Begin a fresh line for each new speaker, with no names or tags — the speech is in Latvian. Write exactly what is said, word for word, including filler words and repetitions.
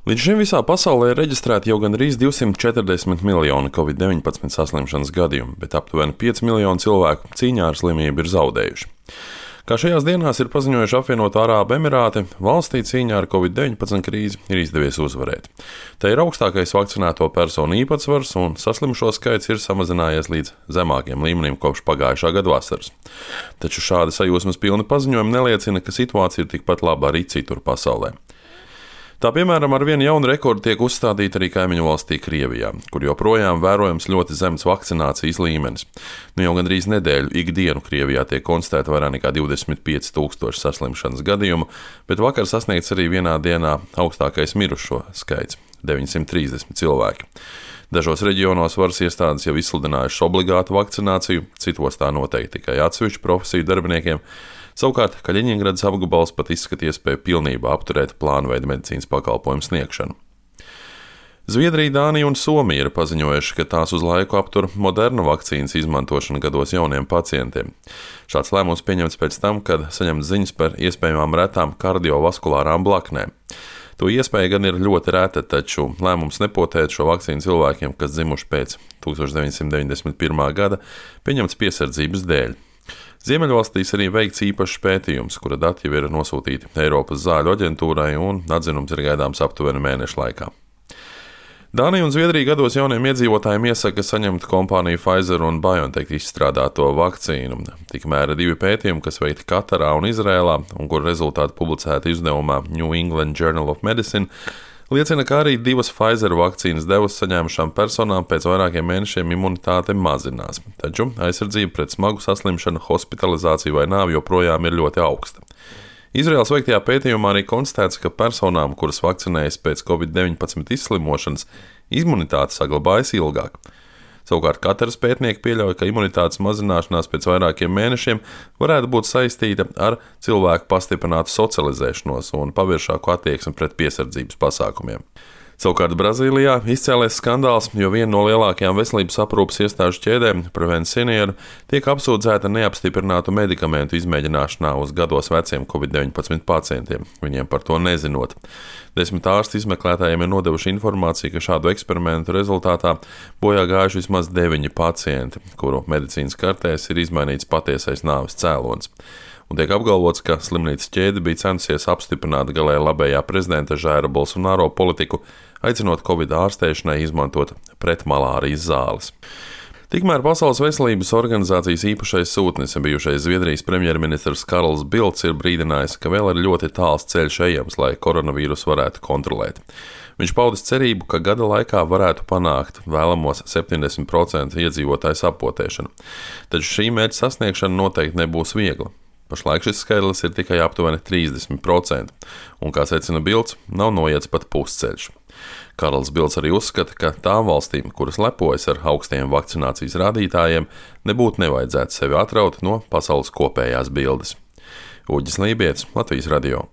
Līdz šim visā pasaulē ir reģistrēti jau gandrīz divsimt četrdesmit miljoni covid deviņpadsmit saslimšanas gadījumu, bet aptuveni pieci miljoni cilvēku cīņā ar slimību ir zaudējuši. Kā šajās dienās ir paziņojuši apvienoto Arābu Emirāti, valstī cīņā ar covid deviņpadsmit krīzi ir izdevies uzvarēt. Tā ir augstākais vakcinēto personu īpatsvars un saslimšo skaits ir samazinājies līdz zemākiem līmenim kopš pagājušā gada vasaras. Taču šādi sajūsmas pilni paziņojumi neliecina, ka situācija ir tikpat laba arī citur pasaulē. Tā piemēram ar vienu jaunu rekordu tiek uzstādīta arī kaimiņu valstī Krievijā, kur joprojām vērojams ļoti zems vakcinācijas līmenis. Nu jau gandrīz nedēļu ikdienu Krievijā tiek konstatēta vairāk nekā divdesmit pieci tūkstoši saslimšanas gadījumu, bet vakar sasniegts arī vienā dienā augstākais mirušo skaits - deviņsimt trīsdesmit cilvēki. Dažos reģionos varas iestādes jau izsludinājušas obligātu vakcināciju, citos tā noteikti tikai atsevišķu profesiju darbiniekiem. Savukārt, Kaļiņingradas apgabals pat izskatīja iespēju pilnībā apturēt plānveida medicīnas pakalpojumu sniegšanu. Zviedrija, Dānija un Somija ir paziņojuši, ka tās uz laiku aptur Moderna vakcīnas izmantošanu gados jauniem pacientiem. Šāds lēmums pieņemts pēc tam, kad saņemts ziņas par iespējamām retām kardiovaskulārām blaknēm. To iespēja gan ir ļoti reta, taču lēmums nepotēt šo vakcīnu cilvēkiem, kas dzimuši pēc deviņdesmit deviņdesmit pirmā gada, pieņemts piesardzības dēļ. Ziemeļvalstīs arī veikts īpašs pētījums, kura dati jau ir nosūtīti Eiropas zāļu aģentūrai un atzinums ir gaidāms aptuveni mēneša laikā. Dānija un Zviedrija gados jauniem iedzīvotājiem iesaka saņemt kompāniju Pfizer un BioNTech izstrādāto vakcīnu. Tikmēr divi pētījumi, kas veikti Katarā un Izrēlā, un kur rezultāti publicēti izdevumā New England Journal of Medicine, liecina, ka arī divas Pfizer vakcīnas devas saņēmušām personām pēc vairākiem mēnešiem imunitāte mazinās, taču aizsardzība pret smagu saslimšanu, hospitalizāciju vai nāvi joprojām ir ļoti augsta. Izraēlas veiktajā pētījumā arī konstatēts, ka personām, kuras vakcinējas pēc covid deviņpadsmit izslimošanas, imunitāte saglabājas ilgāk. Savukārt Kataras pētnieki pieļauj, ka imunitātes mazināšanās pēc vairākiem mēnešiem varētu būt saistīta ar cilvēku pastiprinātu socializēšanos un paviršāku attieksmi pret piesardzības pasākumiem. Savukārt Brazīlijā izcēlies skandāls, jo viena no lielākajām veselības aprūpes iestāžu ķēdēm, Prevent Senior, tiek apsūdzēta neapstiprinātu medikamentu izmēģināšanā uz gados veciem covid deviņpadsmit pacientiem, viņiem par to nezinot. Desmit ārsti izmeklētājiem ir nodevuši informāciju, ka šādu eksperimentu rezultātā bojā gājuši vismaz deviņi pacienti, kuru medicīnas kartēs ir izmainīts patiesais nāves cēlonis. Un tiek apgalvots, ka slimnīcas ķēde bija censusies apstiprināt galēji labējā prezidenta Žaira Bolsonaro politiku, aicinot covid ārstēšanai izmantot pretmalārijas zāles. Tikmēr Pasaules veselības organizācijas īpašais sūtnis, bijušais Zviedrijas premjerministrs Karls Bildts, ir brīdinājis, ka vēl ir ļoti tāls ceļš ejams, lai koronavīrusu varētu kontrolēt. Viņš paudis cerību, ka gada laikā varētu panākt vēlamos septiņdesmit procentu iedzīvotāju sapotēšanu. Taču šī mērķa sasniegšana noteikti nebūs viegla. Pašlaik šis skaitlis ir tikai aptuveni trīsdesmit procenti, un, kā secina Bildts, nav noiets pat pusceļš. Karls Bildts arī uzskata, ka tām valstīm, kuras lepojas ar augstiem vakcinācijas rādītājiem, nebūtu nevajadzētu sevi atraut no pasaules kopējās bildes. Uģis Lībietis, Latvijas radio.